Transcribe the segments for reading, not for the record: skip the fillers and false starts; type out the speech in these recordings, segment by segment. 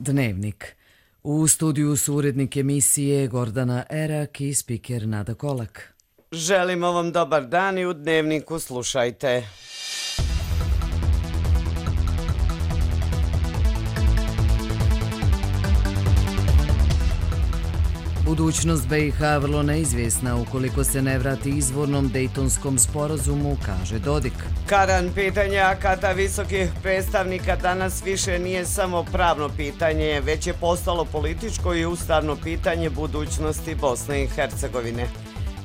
Dnevnik. U studiju su urednik emisije Gordana Erak i spiker Nada Kolak. Želimo vam dobar dan i u Dnevniku slušajte. Budućnost BiH vrlo neizvjesna ukoliko se ne vrati izvornom Dejtonskom sporazumu, kaže Dodik. Karan, pitanje akata visokih predstavnika danas više nije samo pravno pitanje, već je postalo političko i ustavno pitanje budućnosti Bosne i Hercegovine.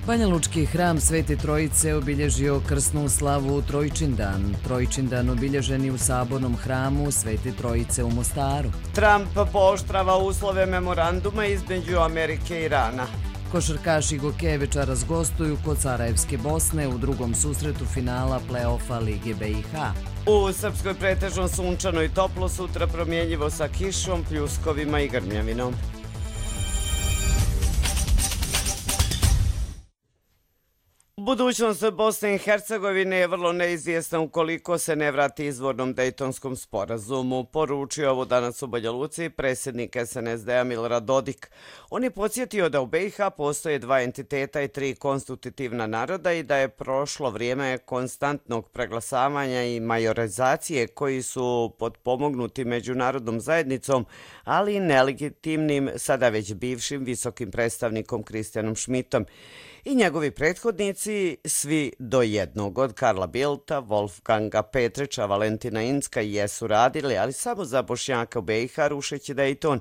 Banjalučki hram Svete Trojice obilježio krsnu slavu Trojčindan. Trojčindan obilježeni u sabornom hramu Svete Trojice u Mostaru. Trump pooštrava uslove memoranduma između Amerike i Irana. Košarkaši Gokevičaras gostuju kod Sarajevske Bosne u drugom susretu finala play-offa Lige BiH. U Srpskoj pretežno sunčano i toplo, sutra promjenjivo sa kišom, pljuskovima i grmljavinom. Budućnost Bosne i Hercegovine je vrlo neizvjesna ukoliko se ne vrati izvornom Dejtonskom sporazumu, poručio ovo danas u Banja Luci predsjednik SNSD-a Milorad Dodik. On je podsjetio da u BiH postoje dva entiteta i tri konstitutivna naroda i da je prošlo vrijeme konstantnog preglasavanja i majorizacije koji su potpomognuti međunarodnom zajednicom, ali i nelegitimnim, sada već bivšim visokim predstavnikom Kristijanom Šmitom. I njegovi prethodnici, svi do jednog, od Karla Bildta, Wolfganga Petrića, Valentina Incka, jesu radili, ali samo za Bošnjaka u BiH, rušeći Dejton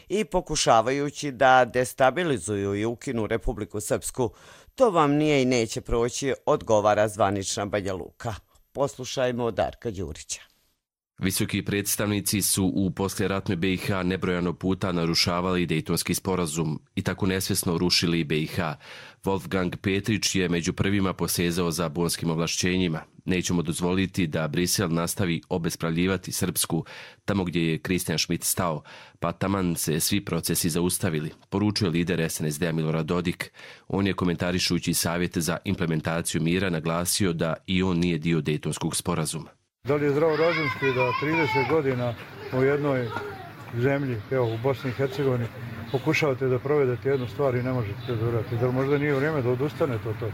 i pokušavajući da destabilizuju i ukinu Republiku Srpsku. To vam nije i neće proći, odgovara zvanična Banja Luka. Poslušajmo Darka Đurića. Visoki predstavnici su u poslijeratnoj BiH nebrojano puta narušavali Dejtonski sporazum i tako nesvjesno rušili BiH. Wolfgang Petrić je među prvima posezao za bonskim ovlašćenjima. Nećemo dozvoliti da Brisel nastavi obespravljivati Srpsku tamo gdje je Kristijan Šmit stao, pa taman se svi procesi zaustavili, poručuje lider SNSD-a Milorad Dodik. On je komentarišući savjete za implementaciju mira naglasio da i on nije dio Dejtonskog sporazuma. Da li je zdravorazumski da 30 godina u jednoj zemlji, evo u Bosni i Hercegovini, pokušavate da provedete jednu stvar i ne možete da uradite? Da li možda nije vrijeme da odustanete od toga?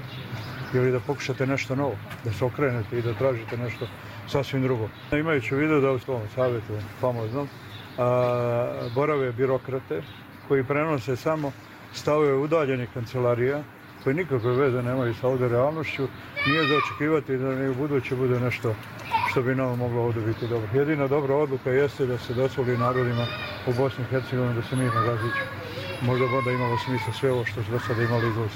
Ili da pokušate nešto novo, da se okrenete i da tražite nešto sasvim drugo? Imajući u vidu da u svom savjetu famoznom borave birokrate koji prenose samo stavove udaljenih kancelarija koji nikakve veze nemaju sa ovdje realnošću, nije za očekivati da ne u buduće bude nešto što bi nam moglo ovdje biti dobro. Jedina dobra odluka jeste da se dozvoli narodima u Bosni i Hercegovini da se mirno raziđu. Možda onda imalo smisla sve ovo što su do sada imali izlazi.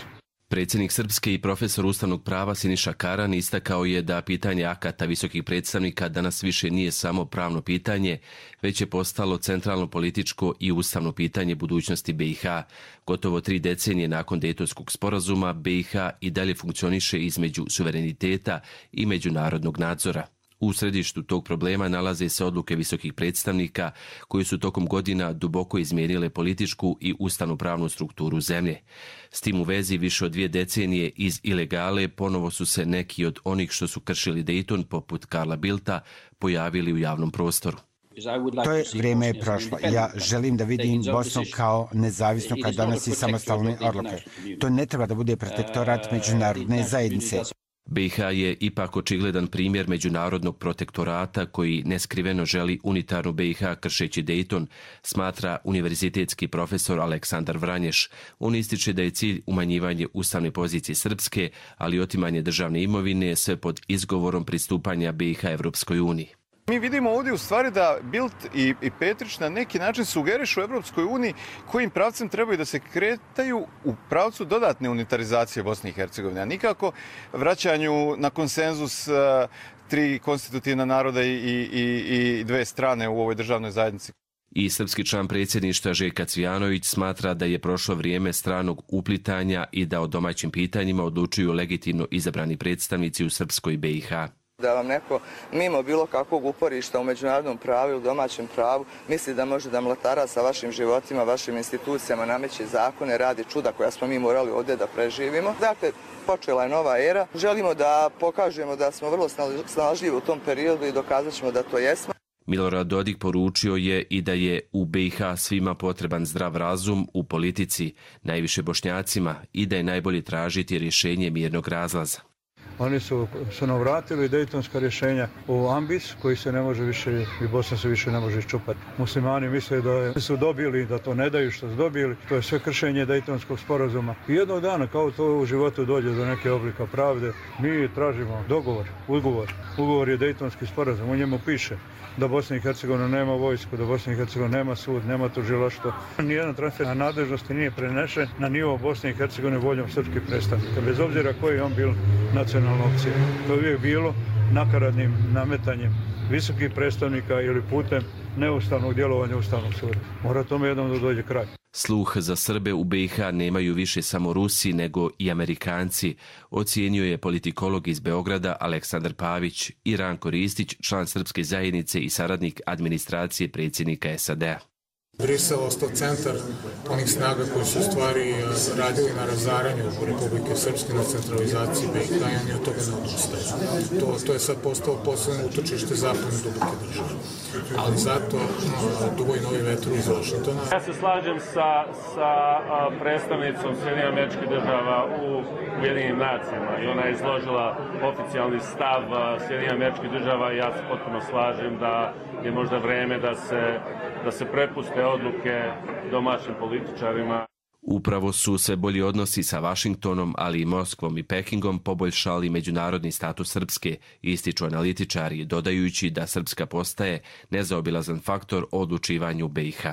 Predsjednik Srpske i profesor ustavnog prava Siniša Karan istakao je da pitanje akata visokih predstavnika danas više nije samo pravno pitanje, već je postalo centralno političko i ustavno pitanje budućnosti BiH. Gotovo 3 decenije nakon Dejtonskog sporazuma BiH i dalje funkcioniše između suvereniteta i međunarodnog nadzora. U središtu tog problema nalaze se odluke visokih predstavnika koji su tokom godina duboko izmijenile političku i ustavno-pravnu strukturu zemlje. S tim u vezi više od 2 decenije iz ilegale ponovo su se neki od onih što su kršili Dejton, poput Karla Bildta, pojavili u javnom prostoru. To je vrijeme je prošlo. Ja želim da vidim Bosnu kao nezavisnu kad donosi samostalne odluke. To ne treba da bude protektorat međunarodne zajednice. BiH je ipak očigledan primjer međunarodnog protektorata koji neskriveno želi unitarnu BiH kršeći Dejton, smatra univerzitetski profesor Aleksandar Vranješ. On ističe da je cilj umanjivanje ustavne pozicije Srpske, ali otimanje državne imovine sve pod izgovorom pristupanja BiH Evropskoj uniji. Mi vidimo ovdje u stvari da Bildt i Petrić na neki način sugerišu Evropskoj uniji kojim pravcem trebaju da se kretaju u pravcu dodatne unitarizacije Bosne i Hercegovine, a nikako vraćanju na konsenzus 3 konstitutivna naroda i 2 strane u ovoj državnoj zajednici. I srpski član predsjedništva Željka Cvijanović smatra da je prošlo vrijeme stranog uplitanja i da o domaćim pitanjima odlučuju legitimno izabrani predstavnici u Srpskoj BiH. Da vam neko mimo bilo kakvog uporišta u međunarodnom pravu ili domaćem pravu misli da može da mlatara sa vašim životima, vašim institucijama, nameće zakone, radi čuda koja smo mi morali ovdje da preživimo. Dakle, počela je nova era. Želimo da pokažemo da smo vrlo snalažljivi u tom periodu i dokazat ćemo da to jesmo. Milorad Dodik poručio je i da je u BiH svima potreban zdrav razum u politici, najviše Bošnjacima, i da je najbolje tražiti rješenje mirnog razlaza. Oni su nam vratili dejtonska rješenja u ambis koji se ne može više, i Bosna se više ne može iščupati. Muslimani misle da su dobili, da to ne daju što su dobili. To je sve kršenje dejtonskog sporazuma. I jednog dana, kao to u životu dođe do neke oblika pravde, mi tražimo ugovor. Ugovor je dejtonski sporazum, u njemu piše da Bosna i Hercegovina nema vojsku, da Bosna i Hercegovina nema sud, nema tužilaštvo. Nijedan transfer na nadležnosti nije prenešen na nivo Bosne i Hercegovine voljom srpskih predstavnika, bez obzira koji je on bil nacionalna opcija. To je uvijek bilo nakaradnim nametanjem visokih predstavnika ili putem neustavnog djelovanja Ustavnog suda. Mora tome jednom da dođe kraj. Sluh za Srbe u BiH nemaju više samo Rusi nego i Amerikanci, ocijenio je politikolog iz Beograda Aleksandar Pavić i Ranko Ristić, član srpske zajednice i saradnik administracije predsjednika SAD-a. Brisel ostao centar onih snaga koji su u stvari radili na razaranju Republike Srpske, na centralizaciji BiH, i oni od toga ne odustaju. To je sad postalo posebno utočište zapadne duboke države. Ali zato duvaju novi vetar iz Vašingtona. Ja se slažem sa predstavnicom Sjedinjenih Američkih Država u Ujedinjenim nacijama i ona je izložila oficijalni stav Sjedinjenih Američkih Država i ja se potpuno slažem da je možda vreme da se prepuste odluke domaćim političarima. Upravo su sve bolji odnosi sa Vašingtonom, ali i Moskvom i Pekingom poboljšali međunarodni status Srpske, ističu analitičari, dodajući da Srpska postaje nezaobilazan faktor u odlučivanju BiH.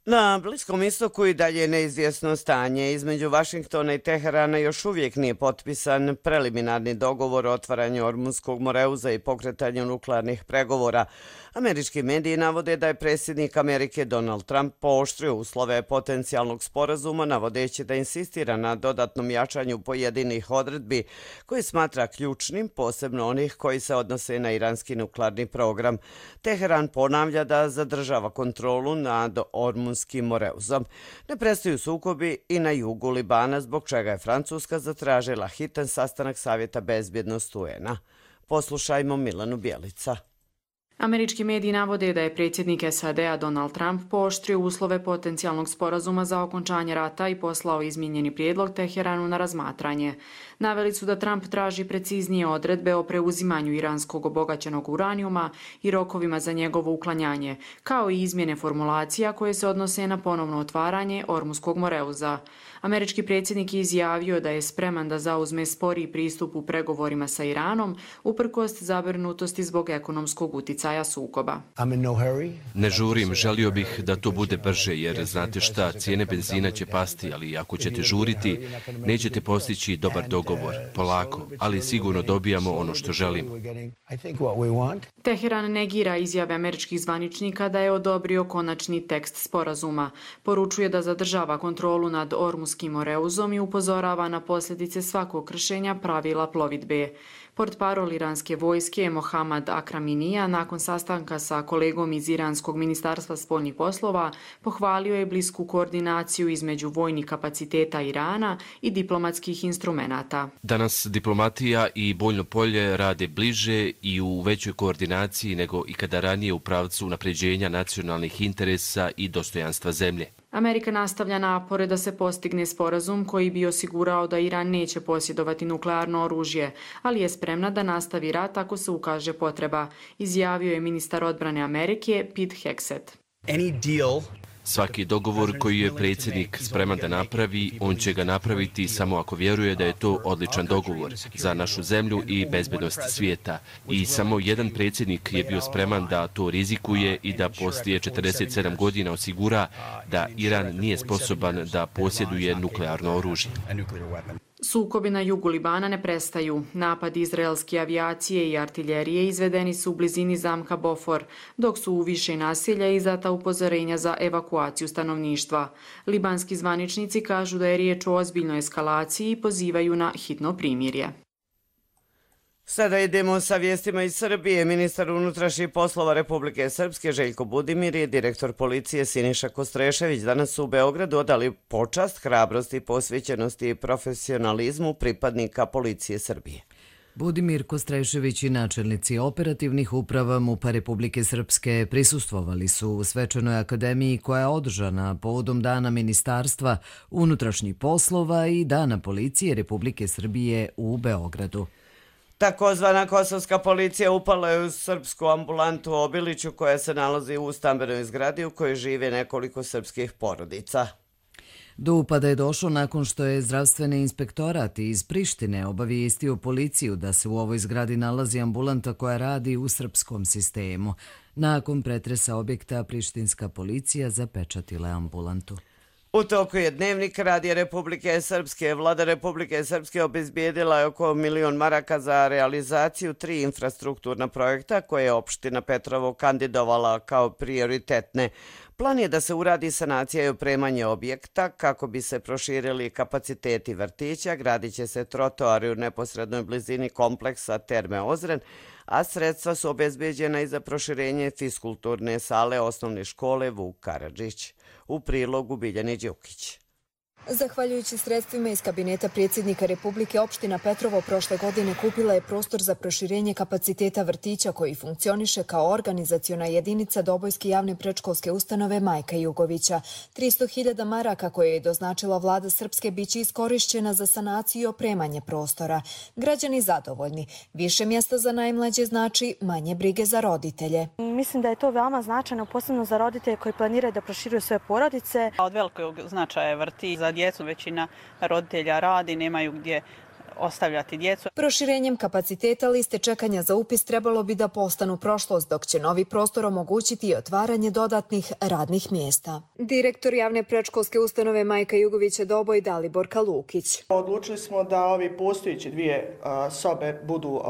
Na Bliskom istoku i dalje neizvjesno stanje. Između Vašingtona i Teherana još uvijek nije potpisan preliminarni dogovor o otvaranju Ormunskog moreuza i pokretanju nuklearnih pregovora. Američki mediji navode da je predsjednik Amerike Donald Trump pooštrio uslove potencijalnog sporazuma, navodeći da insistira na dodatnom jačanju pojedinih odredbi koje smatra ključnim, posebno onih koji se odnose na iranski nuklearni program. Teheran ponavlja da zadržava kontrolu nad Ormunskim moreuzom. Ne prestaju sukobi i na jugu Libana, zbog čega je Francuska zatražila hitan sastanak Savjeta bezbjednosti UN-a. Poslušajmo Milanu Bjelica. Američki mediji navode da je predsjednik SAD-a Donald Trump pooštrio uslove potencijalnog sporazuma za okončanje rata i poslao izmijenjeni prijedlog Teheranu na razmatranje. Naveli su da Trump traži preciznije odredbe o preuzimanju iranskog obogaćenog uranijuma i rokovima za njegovo uklanjanje, kao i izmjene formulacija koje se odnose na ponovno otvaranje Ormunskog moreuza. Američki predsjednik je izjavio da je spreman da zauzme sporiji pristup u pregovorima sa Iranom, uprkos zabrinutosti zbog ekonomskog uticaja sukoba. Ne žurim, želio bih da to bude brže, jer znate šta, cijene benzina će pasti, ali ako ćete žuriti, nećete postići dobar dogovor, polako, ali sigurno dobijamo ono što želimo. Teheran negira izjave američkih zvaničnika da je odobrio konačni tekst sporazuma. Poručuje da zadržava kontrolu nad Ormunskim moreuzom i upozorava na posljedice svakog kršenja pravila plovidbe. Portparol iranske vojske Mohammad Akraminija nakon sastanka sa kolegom iz Iranskog ministarstva spoljnih poslova pohvalio je blisku koordinaciju između vojnih kapaciteta Irana i diplomatskih instrumenata. Danas diplomatija i bojno polje rade bliže i u većoj koordinaciji nego ikada ranije u pravcu unapređenja nacionalnih interesa i dostojanstva zemlje. Amerika nastavlja napore da se postigne sporazum koji bi osigurao da Iran neće posjedovati nuklearno oružje, ali je spremna da nastavi rat ako se ukaže potreba, izjavio je ministar odbrane Amerike Pete Hegseth. Svaki dogovor koji je predsjednik spreman da napravi, on će ga napraviti samo ako vjeruje da je to odličan dogovor za našu zemlju i bezbednost svijeta. I samo jedan predsjednik je bio spreman da to rizikuje i da poslije 47 godina osigura da Iran nije sposoban da posjeduje nuklearno oružje. Sukobi na jugu Libana ne prestaju. Napadi izraelske avijacije i artiljerije izvedeni su u blizini zamka Bofor, dok su u više naselja izdata upozorenja za evakuaciju stanovništva. Libanski zvaničnici kažu da je riječ o ozbiljnoj eskalaciji i pozivaju na hitno primirje. Sada idemo sa vijestima iz Srbije. Ministar unutrašnjih poslova Republike Srpske Željko Budimir i direktor policije Siniša Kostrešević danas su u Beogradu odali počast, hrabrosti, posvećenosti i profesionalizmu pripadnika policije Srbije. Budimir Kostrešević i načelnici operativnih uprava MUP-a Republike Srpske prisustvovali su u svečanoj akademiji koja je održana povodom Dana Ministarstva unutrašnjih poslova i Dana policije Republike Srbije u Beogradu. Takozvana kosovska policija upala je u srpsku ambulantu u Obiliću koja se nalazi u stambenoj zgradi u kojoj žive nekoliko srpskih porodica. Do upada je došlo nakon što je zdravstveni inspektorat iz Prištine obavijestio policiju da se u ovoj zgradi nalazi ambulanta koja radi u srpskom sistemu. Nakon pretresa objekta, prištinska policija zapečatila ambulantu. U toku je Dnevnik Radija Republike Srpske. Vlada Republike Srpske obezbijedila je oko 1 milion maraka za realizaciju 3 infrastrukturna projekta koje je opština Petrovo kandidovala kao prioritetne. Plan je da se uradi sanacija i opremanje objekta kako bi se proširili kapaciteti vrtića, gradit će se trotoari u neposrednoj blizini kompleksa Terme Ozren, a sredstva su obezbeđena i za proširenje fiskulturne sale osnovne škole Vuk Karadžić. U prilogu Biljani Đukić. Zahvaljujući sredstvima iz kabineta predsjednika Republike, opština Petrovo prošle godine kupila je prostor za proširenje kapaciteta vrtića koji funkcioniše kao organizaciona jedinica Dobojske javne predškolske ustanove Majka Jugovića. 300.000 maraka koje je doznačila vlada Srpske biće iskorišćena za sanaciju i opremanje prostora. Građani zadovoljni. Više mjesta za najmlađe znači manje brige za roditelje. Mislim da je to veoma značajno, posebno za roditelje koji planiraju da proširuju svoje porodice. Od velikog značaja je vrtić. Za djecu većina roditelja radi, nemaju gdje ostavljati djecu. Proširenjem kapaciteta liste čekanja za upis trebalo bi da postanu prošlost, dok će novi prostor omogućiti i otvaranje dodatnih radnih mjesta. Direktor javne predškolske ustanove Majka Jugovića Doboj Dalibor Kalukić. Odlučili smo da ovi postojeće 2 sobe budu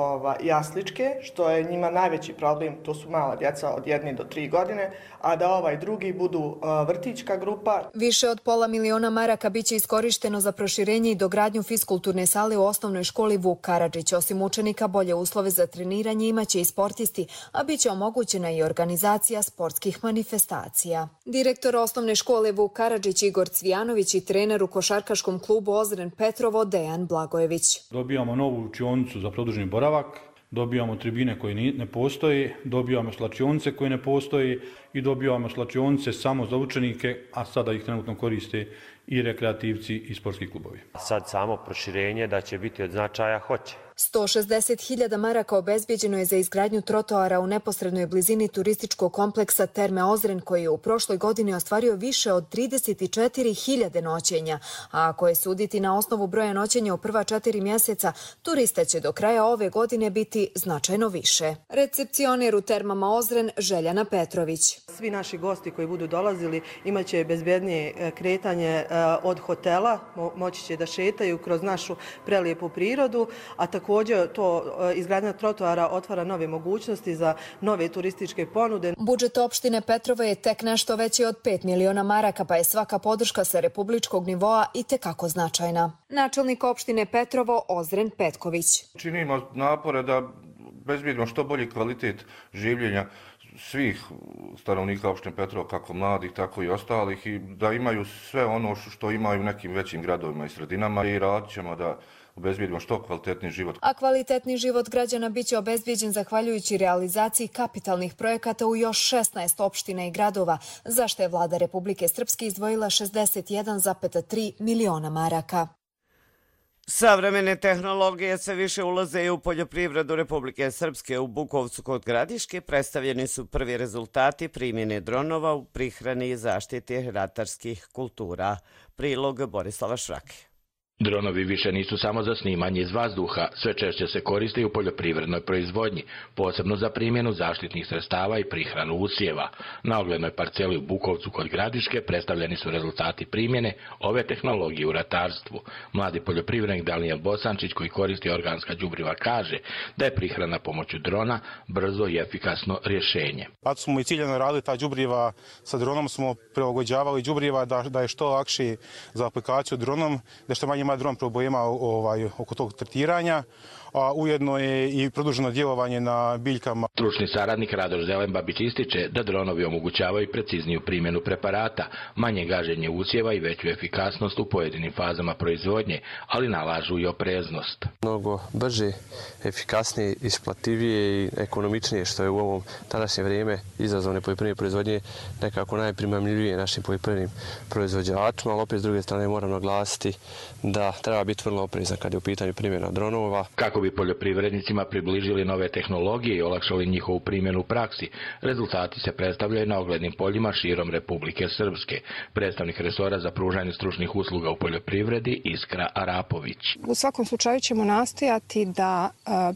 jasličke, što je njima najveći problem, to su mala djeca od 1 do 3 godine, a da ovaj drugi budu vrtićka grupa. Više od pola miliona maraka biće iskorišteno za proširenje i dogradnju fiskulturne sale u osnovnoj školi Vuk Karadžić. Osim učenika, bolje uslove za treniranje imaće i sportisti, a biće omogućena i organizacija sportskih manifestacija. Direktor osnovne škole Vuk Karadžić Igor Cvijanović i trener u košarkaškom klubu Ozren Petrovo Dejan Blagojević. Dobijamo novu učionicu za produženi boravak, dobijamo tribine koje ne postoje, dobijamo slačionice koje ne postoje i dobijamo slačionice samo za učenike, a sada ih trenutno koriste i rekreativci i sportski klubovi. Sad samo proširenje da će biti od značaja hoće. 160.000 maraka obezbijeđeno je za izgradnju trotoara u neposrednoj blizini turističkog kompleksa Terme Ozren koji je u prošloj godini ostvario više od 34.000 noćenja. A ako je suditi na osnovu broja noćenja u prva 4 mjeseca, turista će do kraja ove godine biti značajno više. Recepcioner u Termama Ozren Željana Petrović. Svi naši gosti koji budu dolazili imaće bezbednije kretanje od hotela, moći će da šetaju kroz našu prelijepu prirodu, a također to izgradnja trotoara otvara nove mogućnosti za nove turističke ponude. Budžet opštine Petrovo je tek nešto veći od 5 miliona maraka, pa je svaka podrška sa republičkog nivoa i tekako značajna. Načelnik opštine Petrovo Ozren Petković. Činimo napore da bezbjedno što bolji kvalitet življenja svih stanovnika opštine Petrovo, kako mladih, tako i ostalih, i da imaju sve ono što imaju u nekim većim gradovima i sredinama, i radit ćemo da obezbijedimo što kvalitetniji život. A kvalitetni život građana biće obezbijeđen zahvaljujući realizaciji kapitalnih projekata u još 16 opština i gradova, za što je vlada Republike Srpske izdvojila 61,3 miliona maraka. Savremene tehnologije sve više ulaze i u poljoprivredu Republike Srpske. U Bukovcu kod Gradiške predstavljeni su prvi rezultati primjene dronova u prihrani i zaštiti ratarskih kultura. Prilog Borislava Šrake. Dronovi više nisu samo za snimanje iz vazduha, sve češće se koriste i u poljoprivrednoj proizvodnji, posebno za primjenu zaštitnih sredstava i prihranu usjeva. Na oglednoj parceli u Bukovcu kod Gradiške predstavljeni su rezultati primjene ove tehnologije u ratarstvu. Mladi poljoprivrednik Daniel Bosančić, koji koristi organska đubriva, kaže da je prihrana pomoću drona brzo i efikasno rješenje. Kad smo i ciljano radili ta đubriva, sa dronom smo prilagođavali đubriva da je što lakši za aplikaciju dronom, da što manje ima dron problema oko tog tretiranja, a ujedno je i produženo djelovanje na biljkama. Stručni saradnik Radoš Zelenbabić ističe da dronovi omogućavaju precizniju primjenu preparata, manje gaženje usjeva i veću efikasnost u pojedinim fazama proizvodnje, ali nalažu i opreznost. Mnogo brže, efikasnije, isplativije i ekonomičnije, što je u ovom današnje vrijeme izazovne poljoprivredne proizvodnje nekako najprimamljivije našim poljoprivrednim proizvođačima, ali opet s druge strane moram naglasiti da treba biti vrlo oprezan kad je u pitanju primjena dronova. Kako bi poljoprivrednicima približili nove tehnologije i olakšali njihovu primjenu u praksi, rezultati se predstavljaju na oglednim poljima širom Republike Srpske. Predstavnik resora za pružanje stručnih usluga u poljoprivredi Iskra Arapović. U svakom slučaju ćemo nastojati da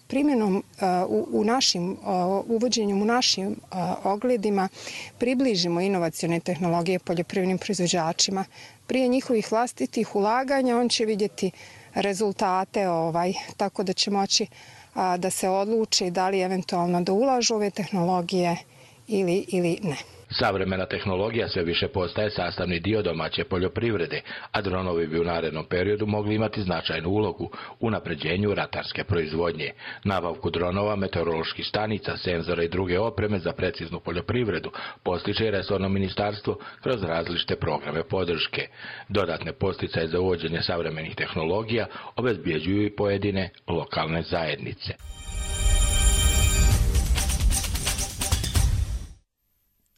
primjenom uvođenjem u našim ogledima približimo inovacione tehnologije poljoprivrednim proizvođačima. Prije njihovih vlastitih ulaganja on će vidjeti rezultate, tako da će moći da se odluči da li eventualno da ulažu ove tehnologije ili ne. Savremena tehnologija sve više postaje sastavni dio domaće poljoprivrede, a dronovi bi u narednom periodu mogli imati značajnu ulogu u unapređenju ratarske proizvodnje. Nabavku dronova, meteoroloških stanica, senzora i druge opreme za preciznu poljoprivredu postiže resorno ministarstvo kroz različite programe podrške. Dodatne podsticaje za uvođenje savremenih tehnologija obezbjeđuju i pojedine lokalne zajednice.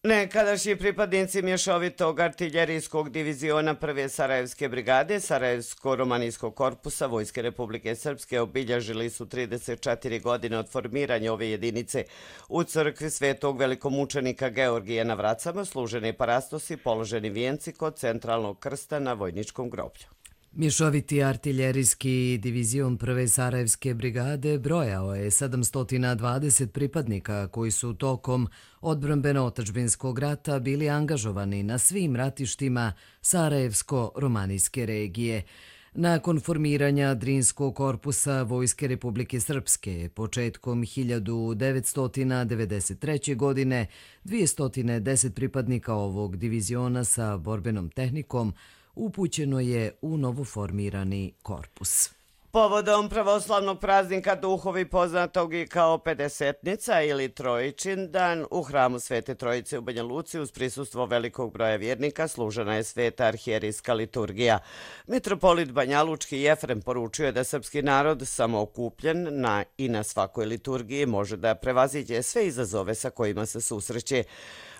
Nekadašnji pripadnici mješovitog artiljerijskog diviziona 1. Sarajevske brigade Sarajevsko-romanijskog korpusa Vojske Republike Srpske obilježili su 34 godine od formiranja ove jedinice. U crkvi Svetog velikomučenika Georgija na Vracama služeni parastosi, položeni vijenci kod centralnog krsta na vojničkom groblju. Mješoviti artiljerijski divizion 1. Sarajevske brigade brojao je 720 pripadnika koji su tokom odbrambeno-otadžbinskog rata bili angažovani na svim ratištima Sarajevsko-romanijske regije. Nakon formiranja Drinskog korpusa Vojske Republike Srpske početkom 1993. godine 210 pripadnika ovog diviziona sa borbenom tehnikom upućeno je u novoformirani korpus. Povodom pravoslavnog praznika Duhovi, poznatog i kao Pedesetnica ili Trojičin dan, u hramu Svete Trojice u Banja Luci uz prisustvo velikog broja vjernika služena je sveta arhijerijska liturgija. Mitropolit Banjalučki Jefrem poručio je da srpski narod samookupljen i na svakoj liturgiji može da prevaziđe sve izazove sa kojima se susreće.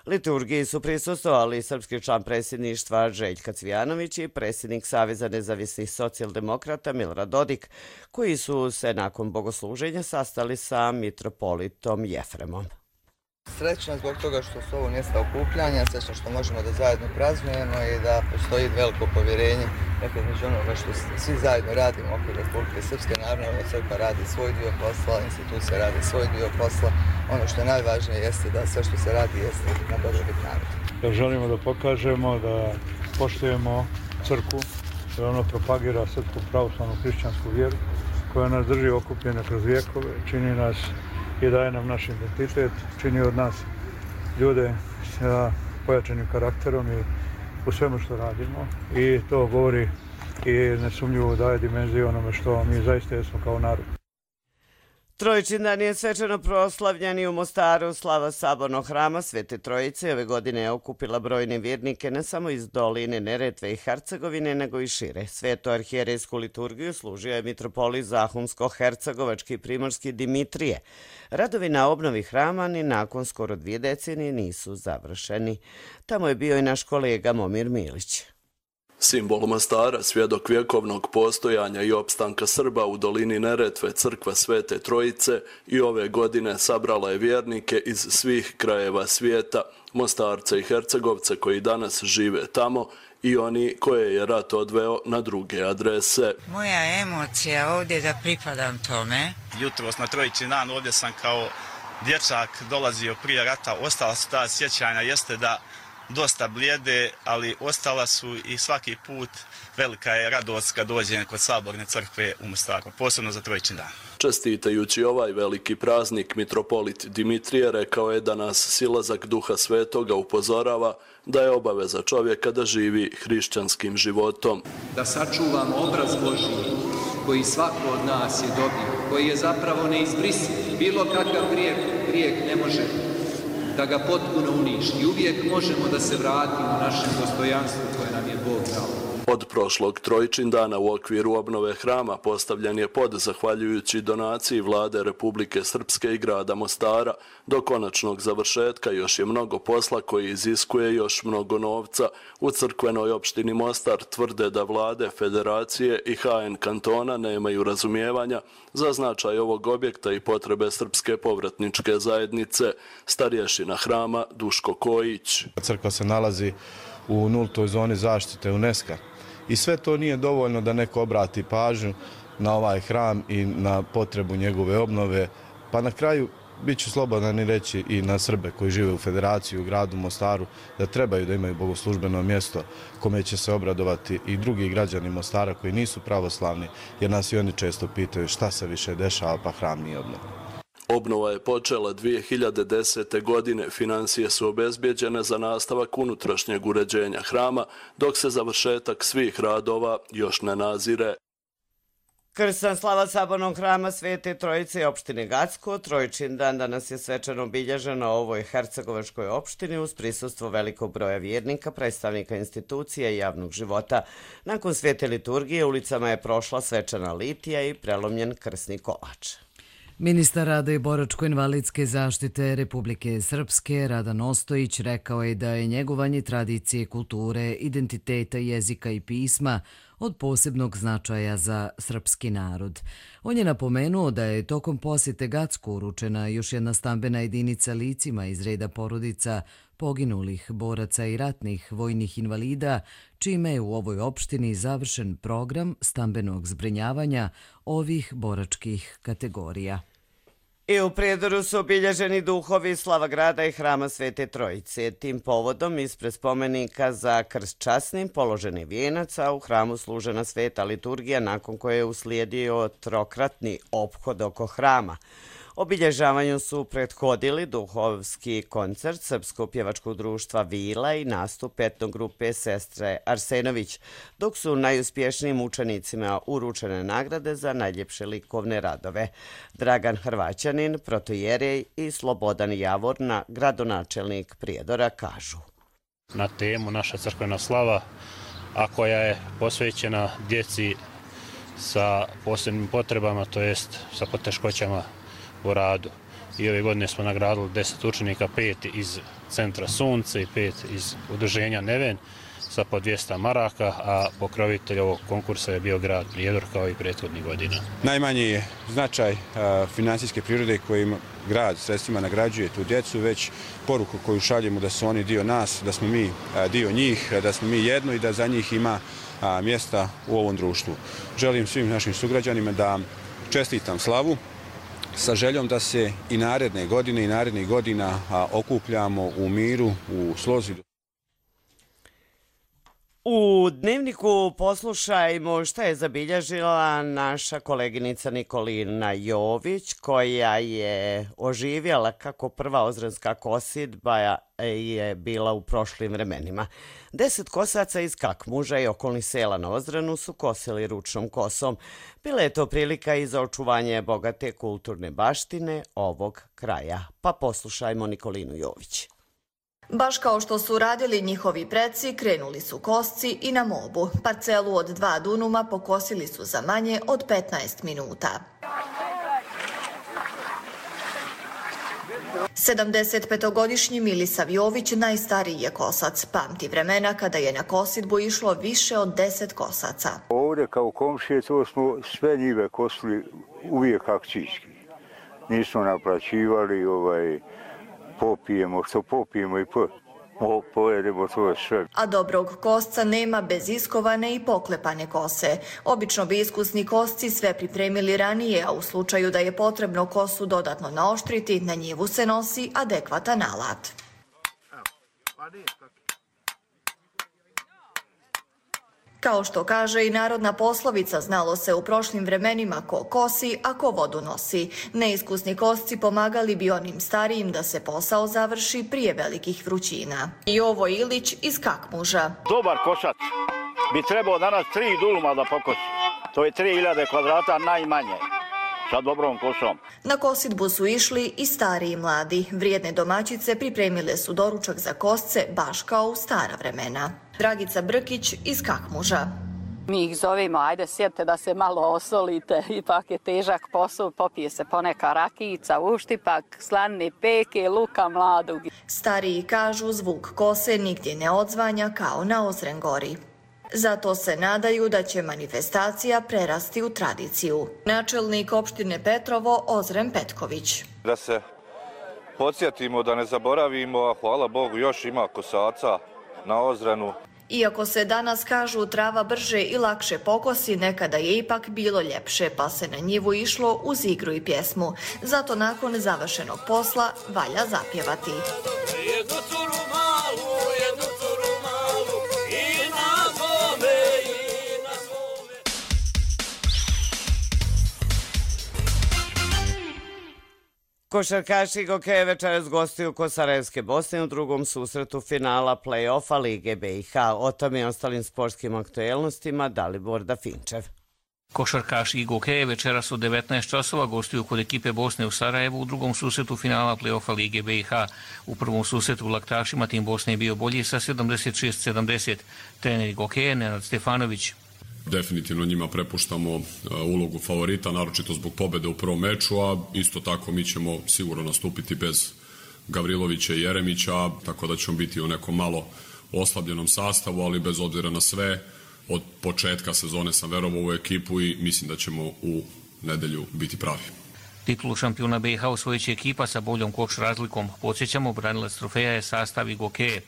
Liturgiji su prisustvovali srpski član predsjedništva Željka Cvijanović i predsjednik Saveza nezavisnih socijaldemokrata Milorad Dodik, koji su se nakon bogosluženja sastali sa mitropolitom Jefremom. Srećna zbog toga što su ovo mjesta okupljanja, srećna što možemo da zajedno praznujemo i da postoji veliko povjerenje među onoga što svi zajedno radimo oko Republike Srpske. Naravno, crkva radi svoj dio posla, institucija radi svoj dio posla. Ono što je najvažnije jeste da sve što se radi jeste na dobrobit naroda. Želimo da pokažemo da poštujemo crkvu, da ono propagira srpsku pravoslavnu hrišćansku vjeru koja nas drži okupljene kroz vjekove, čini nas i daje nam naš identitet, čini od nas ljude sa pojačanim karakterom i u svemu što radimo. I to govori i nesumnjivo daje dimenziju onome što mi zaista jesmo kao narod. Trojičin dan je svečano proslavljen i u Mostaru. Slava sabornog hrama Svete Trojice ove godine je okupila brojne vjernike ne samo iz doline Neretve i Hercegovine, nego i šire. Svetu arhijerejsku liturgiju služio je mitropolit Zahumsko-hercegovački i primorski Dimitrije. Radovi na obnovi hrama ni nakon skoro 2 decenije nisu završeni. Tamo je bio i naš kolega Momir Milić. Simbol Mostara, svjedok vjekovnog postojanja i opstanka Srba u dolini Neretve, crkva Svete Trojice, i ove godine sabrala je vjernike iz svih krajeva svijeta, Mostarce i Hercegovce koji danas žive tamo i oni koje je rat odveo na druge adrese. Moja emocija ovdje da pripadam tome. Jutros na Trojičin dan ovdje sam kao dječak dolazio prije rata, ostala su ta sjećanja, jeste da dosta blijede, ali ostala su i svaki put velika je radost kad dođe kod Saborne crkve u Mostaru, posebno za Trojičin dan. Čestitajući ovaj veliki praznik, mitropolit Dimitrije rekao je da nas silazak Duha Svetoga upozorava da je obaveza čovjeka da živi hrišćanskim životom. Da sačuvamo obraz Božji koji svako od nas je dobio, koji je zapravo neizbrisiv. Bilo kakav grijeh ne može da ga potpuno uništi. Uvijek možemo da se vratimo našem dostojanstvu koje nam je Bog dao. Od prošlog Trojičin dana u okviru obnove hrama postavljen je pod, zahvaljujući donaciji Vlade Republike Srpske i grada Mostara. Do konačnog završetka još je mnogo posla koji iziskuje još mnogo novca. U crkvenoj opštini Mostar tvrde da vlade, federacije i HN kantona nemaju razumijevanja za značaj ovog objekta i potrebe srpske povratničke zajednice. Starješina hrama Duško Kojić. Crkva se nalazi u nultoj zoni zaštite UNESCO-a. I sve to nije dovoljno da neko obrati pažnju na ovaj hram i na potrebu njegove obnove. Pa na kraju bit ću slobodan i reći i na Srbe koji žive u Federaciji u gradu Mostaru da trebaju da imaju bogoslužbeno mjesto kome će se obradovati i drugi građani Mostara koji nisu pravoslavni, jer nas i oni često pitaju šta se više dešava pa hram nije obnovljen. Obnova je počela 2010. godine, financije su obezbijeđene za nastavak unutrašnjeg uređenja hrama, dok se završetak svih radova još ne nazire. Krsna slava Sabornog hrama Svete Trojice i opštine Gacko, Trojičin dan danas je svečano obilježen na ovoj hercegovačkoj opštini uz prisustvo velikog broja vjernika, predstavnika institucija i javnog života. Nakon svete liturgije ulicama je prošla svečana litija i prelomljen krsni kolač. Ministar rada i boračko-invalidske zaštite Republike Srpske Radan Ostojić rekao je da je njegovanje tradicije, kulture, identiteta, jezika i pisma od posebnog značaja za srpski narod. On je napomenuo da je tokom posjete Gacku uručena još jedna stambena jedinica licima iz reda porodica poginulih boraca i ratnih vojnih invalida, čime je u ovoj opštini završen program stambenog zbrinjavanja ovih boračkih kategorija. I u Prijedoru su obilježeni duhovi slava grada i hrama Svete Trojice. Tim povodom ispred spomenika za krst časnim položeni vijenac, a u hramu služena sveta liturgija nakon koje je uslijedio trokratni ophod oko hrama. Obilježavanju su prethodili duhovski koncert Srpskog pjevačkog društva Vila i nastup etnogrupe Sestre Arsenović, dok su najuspješnijim učenicima uručene nagrade za najljepše likovne radove. Dragan Hrvaćanin, protojerej i Slobodan Javorna, gradonačelnik Prijedora, kažu. Na temu naša crkvena slava, a koja je posvećena djeci sa posebnim potrebama, to jest sa poteškoćama u radu. I ove godine smo nagradili 10 učenika, 5 iz Centra Sunce i 5 iz udruženja Neven sa po 200 maraka, a pokrovitelj ovog konkursa je bio grad Prijedor kao i prethodnih godina. Najmanji je značaj finansijske prirode kojim grad sredstvima nagrađuje tu djecu, već poruku koju šaljemo da su oni dio nas, da smo mi dio njih, da smo mi jedno i da za njih ima mjesta u ovom društvu. Želim svim našim sugrađanima da čestitam slavu, sa željom da se i naredne godine i narednih godina okupljamo u miru, u slozi. U Dnevniku poslušajmo šta je zabilježila naša koleginica Nikolina Jović, koja je oživjela kako prva ozranska kosidba je bila u prošlim vremenima. 10 kosaca iz Kakmuža i okolnih sela na Ozranu su kosili ručnom kosom. Bila je to prilika i za očuvanje bogate kulturne baštine ovog kraja. Pa poslušajmo Nikolinu Jović. Baš kao što su radili njihovi preci, krenuli su kosci i na mobu. Parcelu od 2 dunuma pokosili su za manje od 15 minuta. 75-godišnji Milisav Jović najstariji je kosac. Pamti vremena kada je na kosidbu išlo više od 10 kosaca. Ovdje kao komšije to smo sve njive kosili uvijek akcijski. Nismo naplaćivali, popijemo što popijemo i pojedemo to sve. A dobrog kosca nema bez iskovane i poklepane kose. Obično bi iskusni kosci sve pripremili ranije, a u slučaju da je potrebno kosu dodatno naoštriti, na njivu se nosi adekvatan alat. Kao što kaže i narodna poslovica, znalo se u prošlim vremenima ko kosi, a ko vodu nosi. Neiskusni kosci pomagali bi onim starijim da se posao završi prije velikih vrućina. Jovo Ilić iz Kakmuža. Dobar košač bi trebao danas 3 duluma da pokosi. To je 3000 kvadrata najmanje. Sa dobrom kosom. Na kositbu su išli i stari i mladi. Vrijedne domaćice pripremile su doručak za kosce baš kao u stara vremena. Dragica Brkić iz Kakmuža. Mi ih zovemo, ajde sjedite da se malo osolite, ipak je težak posao, popije se poneka rakijica, uštipak, slanine peke, luka mladog. Stariji kažu zvuk kose nigdje ne odzvanja kao na Ozren gori. Zato se nadaju da će manifestacija prerasti u tradiciju. Načelnik opštine Petrovo Ozren Petković. Da se podsjetimo, da ne zaboravimo, a hvala Bogu još ima kosaca na Ozrenu. Iako se danas kažu trava brže i lakše pokosi, nekada je ipak bilo ljepše, pa se na njivu išlo uz igru i pjesmu. Zato nakon završenog posla valja zapjevati. Košarkaši Gokeja večeras gostuju kod Sarajevske Bosne u drugom susretu finala play-offa Lige BiH. O tome i ostalim sportskim aktuelnostima Dalibor Dafinčev. Košarkaši Gokeja večeras u 19 časova gostuju kod ekipe Bosne u Sarajevu u drugom susretu finala play-offa Lige BiH. U prvom susretu u Laktašima tim Bosne je bio bolji sa 76-70. Trener Gokeja Nenad Stefanović. Definitivno njima prepuštamo ulogu favorita, naročito zbog pobjede u prvom meču, a isto tako mi ćemo sigurno nastupiti bez Gavrilovića i Jeremića, tako da ćemo biti u nekom malo oslabljenom sastavu, ali bez obzira na sve, od početka sezone sam verovao u ekipu i mislim da ćemo u nedelju biti pravi. Titulu šampiona BiH osvojit će ekipa sa boljom koš razlikom. Podsjećamo, branilac trofeja je sastav Gokeje.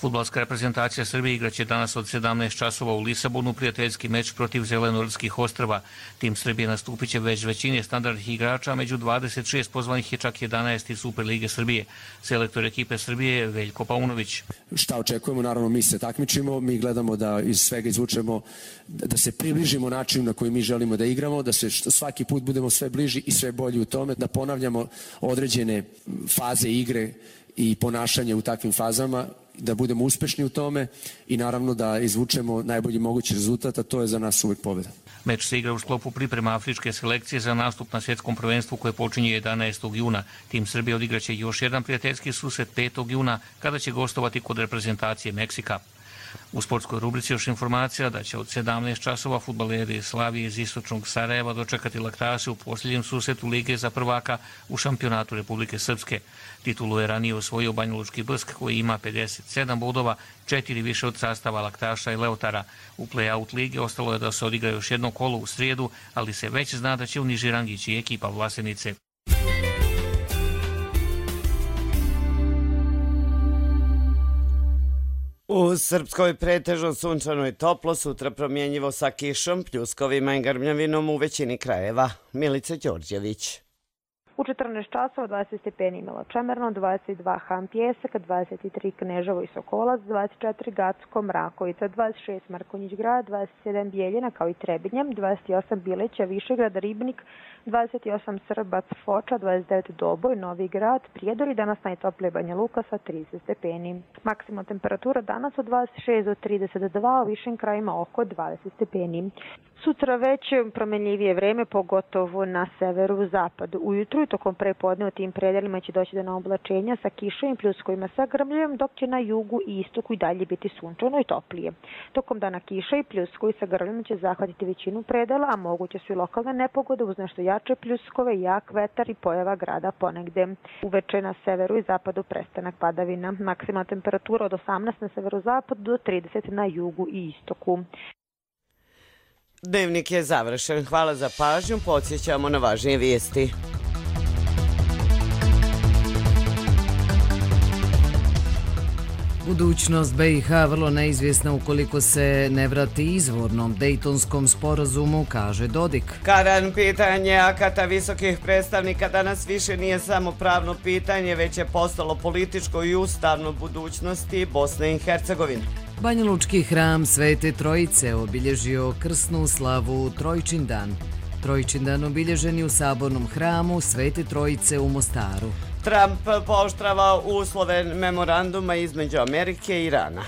Fudbalska reprezentacija Srbije igraće danas od 17 časova u Lisabonu prijateljski meč protiv Zelenortskih ostrva. Tim Srbije nastupit će već većine standardnih igrača, među 26 pozvanih je čak 11 iz Super Lige Srbije. Selektor ekipe Srbije je Veljko Paunović. Šta očekujemo? Naravno, mi se takmičimo, mi gledamo da iz svega izvučemo, da se približimo načinu na koji mi želimo da igramo, da se svaki put budemo sve bliži i sve bolji u tome, da ponavljamo određene faze igre i ponašanje u takvim fazama, da budemo uspešni u tome i naravno da izvučemo najbolji mogući rezultat, a to je za nas uvek pobjeda. Meč se igra u sklopu priprema afričke selekcije za nastup na svjetskom prvenstvu koje počinje 11. juna. Tim Srbije odigraće još jedan prijateljski susret 5. juna kada će gostovati kod reprezentacije Meksika. U sportskoj rubrici još informacija da će od 17 časova fudbaleri Slavije iz istočnog Sarajeva dočekati Laktaše u posljednjem susretu Lige za prvaka u šampionatu Republike Srpske. Titulu je ranije osvojio Banjalučki Brsk koji ima 57 bodova, 4 više od sastava Laktaša i Leotara. U play-out lige ostalo je da se odigra još jedno kolo u srijedu, ali se već zna da će u niži rang ići ekipa Vlasenice. U Srpskoj pretežno sunčano i toplo, sutra promjenjivo sa kišom, pljuskovima i grmljavinom u većini krajeva. Milica Đorđević. U 14 časova 20 stepeni imalo Čemerno, 22 Han Pjesak, 23 Kneževo i Sokolac, 24 Gacko, Mrakovica, 26 Markonjić grad, 27 Bijeljina kao i Trebinjem, 28 Bileća, Višegrad, Ribnik, 28 Srbac, Foča, 29 Doboj, Novi grad, Prijedor i danas najtoplije Banja Luka sa 30 stepeni. Maksimalna temperatura danas od 26 do 32, u višim krajima oko 20 stepeni. Sutra već promenljivije vreme, pogotovo na severu zapadu. Ujutru i tokom prepodne u tim predelima će doći do oblačenja sa kišom i pljuskovima sa grmljem, dok će na jugu i istoku i dalje biti sunčano i toplije. Tokom dana kiša i pljuskovi sa grmljem će zahvatiti većinu predela, a moguće su i lokalne nepogode uz nešto jače pljuskove, jak vetar i pojava grada ponegde. Uveče na severu i zapadu prestanak padavina. Maksimalna temperatura od 18 na severozapadu do 30 na jugu i istoku. Dnevnik je završen. Hvala za pažnju. Podsjećamo na važnije vijesti. Budućnost BiH vrlo neizvjesna ukoliko se ne vrati izvornom Dejtonskom sporazumu, kaže Dodik. Karan, pitanje akata visokih predstavnika danas više nije samo pravno pitanje, već je postalo političko i ustavno budućnosti Bosne i Hercegovine. Banjalučki hram Svete Trojice obilježio krsnu slavu Trojčindan. Trojčindan obilježen je u sabornom hramu Svete Trojice u Mostaru. Trump pooštrava uslove memoranduma između Amerike i Irana.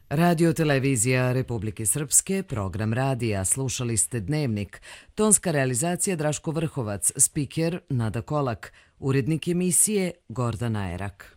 Radio televizija Republike Srpske, program radija, slušali ste Dnevnik. Tonska realizacija Draško Vrhovac, spiker Nada Kolak, urednik emisije Gordana Erak.